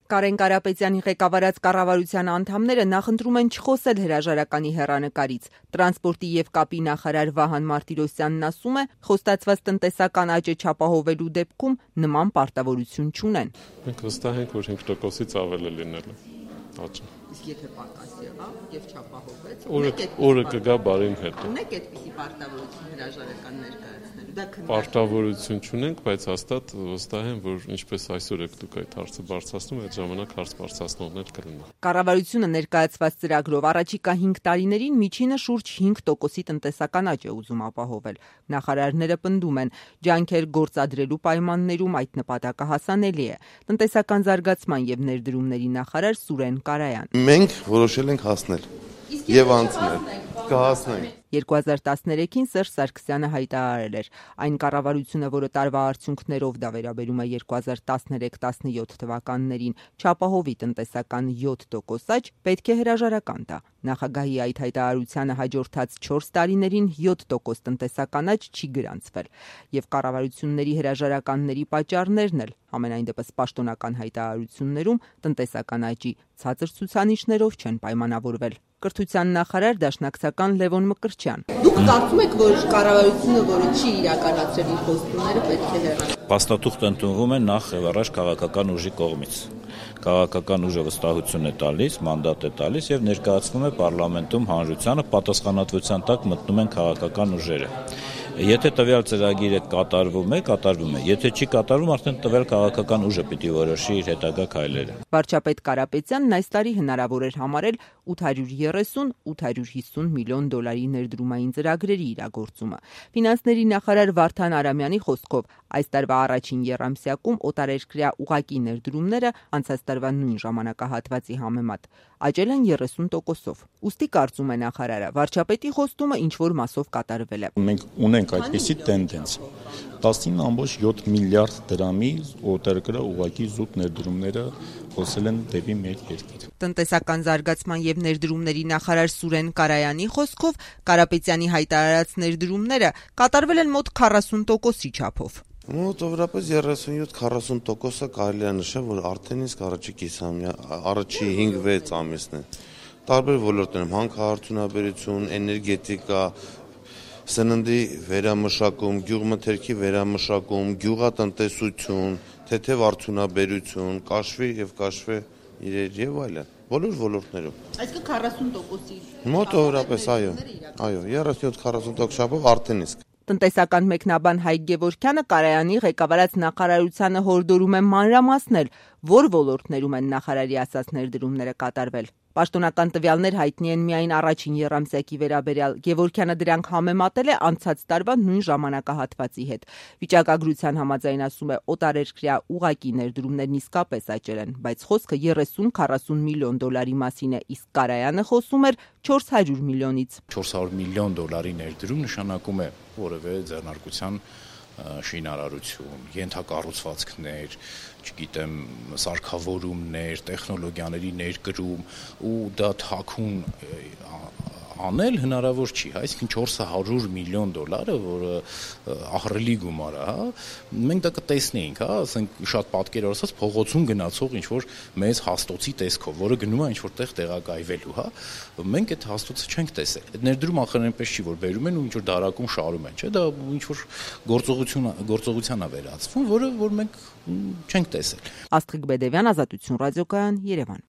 Կարեն Կարապետյանի ղեկավարած կառավարության անդամները նախընտրում են չխոսել հրաժարականի հեռանկարից։ Տրանսպորտի եւ կապի նախարար Վահան Մարտիրոսյանն ասում է, խոստացված տնտեսական աճը չապահովելու դեպքում նման պարտավորություն չունեն։ Մենք վստահ ենք, որ 5%-ից ավել է լինելու աճը։ Իսկ եթե պակաս եղավ եւ չապահովվեց, օրը կգա բարին հետ։ Ունեք այդպիսի պարտավորություն հրաժարական ներկայացնելու։ Պարտավորություն չունենք, բայց հաստատ վստահ եմ, որ ինչպես այսօր եք դուք այդ հարցը բարձրացնում, այդ ժամանակ հարց բարձրացնողներ կլինեն։ Կառավարությունը ներկայացված ծրագրով առաջիկա 5 տարիներին միջինը շուրջ 5%-ի տնտեսական աճ է ուզում ապահովել։ Նախարարները պնդում են, ջանքեր գործադրելու պայմաններում այդ նպատակը հասանելի է։ Տնտեսական զարգացման եւ ներդրումների նախարար Սուրեն Կարայան։ Մենք որոշել ենք հասնել եւ անցնել։ Կհասնենք։ 2013-ին Սերժ Սարգսյանը հայտարարել էր. այն կառավարությունը, որը տարվա արդյունքներով դա վերաբերում է 2013-17 թվականներին, չապահովի տնտեսական 7% աճ, պետք է հրաժարական տա։ Նախագահի այդ հայտարարությանը հաջորդած 4 տարիներին 7% տնտեսական աճ չի գրանցվել, եւ կառավարությունների հրաժարականների պատճառներն էլ համենայն դեպս պաշտոնական հայտարարություններում տնտեսական աճի ցածր ցուցանիշներով չեն պայմանավորվել։ Կրթության նախարար դաշնակցական Լևոն Մկրտչյան։ Դուք կարծում եք, որ կառավարությունը, որը չի իրականացրել իր խոստումները, պետք է հեռանա։ Փաստաթուղթ ընդունվում է նախ եւ առաջ քաղաքական ուժի կողմից։ Քաղաքական ուժը վստահություն է տալիս, մանդատ է տալիս եւ ներկայացվում է պարլամենտում հանրությանը, պատասխանատվության տակ մտնում են քաղաքական ուժերը։ Եթե տվյալ ծրագիրը կատարվում է, եթե չի կատարվում, արդեն տվյալ քաղաքական ուժը պիտի որոշի իր հետագա քայլերը։ Վարչապետ Կարապետյանն այս տարի հնարավոր էր համարել 830-850 միլիոն դոլարի ներդրումային ծրագրերի իրագործումը։ Ֆինանսների նախարար Վարդան Արամյանի խոսքով այս տարվա առաջին եռամսյակում օտարերկրյա ուղղակի ներդրումները անցած տարվա նույն ժամանակահատվածի համեմատ աճել են 30%-ով։ Ուստի կարծում է նախարարը, վարչապետի խոստումը ինչ-որ մասով կատարվել է։ Մենք ունենք այդպիսի տենդենս 19.7 միլիարդ դրամի օտարերկրյա ուղղակի զուտ ներդրումները խոսել են դեպի մեր երկիր։ Տնտեսական զարգացման եւ ներդրումների նախարար Սուրեն Կարայանի խոսքով Կարապետյանի հայտարարած ներդրումները կատարվել են մոտ 40%-ի չափով։ Մոտավորապես 37-40%-ը կարելի է նշել, որ արդեն իսկ առաջի 5-6 ամիսն է։ Տարբեր ոլորտներում հանքարդյունաբերություն, էներգետիկա, սննդի վերամշակում, գյուղմթերքի վերամշակում, գյուղատնտեսություն, թեթև արդյունաբերություն, կաշվի եւ կաշվե իրեր եւ այլն։ Բոլոր ոլորտներում։ Այսինքն 40%-ի։ Մոտավորապես, այո, 37-40% շաբով արդեն իսկ։ Տնտեսական մեկնաբան Հայկ Գևորգյանը Կարայանի ղեկավարած նախարարությանը հորդորում է մանրամասնել, որ ոլորտներում են նախարարի ասած ներդրումները կատարվել։ Պաշտոնական տվյալներ հայտնի են միայն առաջին եռամսյակի վերաբերյալ։ Գևորգյանը դրանք համեմատել է անցած տարվա նույն ժամանակահատվածի հետ։ Վիճակագրության համաձայն ասում է, օտարերկրյա ուղղակի ներդրումներն իսկապես աճել են, բայց խոսքը 30-40 միլիոն դոլարի մասին է, իսկ Կարայանը խոսում էր 400 միլիոնից։ 400 միլիոն դոլարի ներդրում նշանակում է որևէ ձեռնարկության շինարարություն, ենթակառուցվածքներ, չգիտեմ, սարքավորումներ, տեխնոլոգիաների ներկրում ու դա թաքուն անել հնարավոր չի, այսինքն 400 միլիոն դոլարը, որը ահռելի գումար է, մենք դա կտեսնեինք, ասենք շատ պատկերավոր ասած փողոցում գնացող ինչ-որ մեծ հաստոցի տեսքով, որը գնում է ինչ-որ տեղ տեղակայվելու, մենք այդ հաստոցը չենք տեսել։ Այդ ներդրում ախր այնպես չի, որ բերում են ու ինչ-որ դարակում շարում են, չէ՞, դա ինչ-որ գործողության է վերածվում, որը որ մենք չենք տեսել։ Աստղիկ Բեդևյան, Ազատություն ռադիոկայան, Երևան։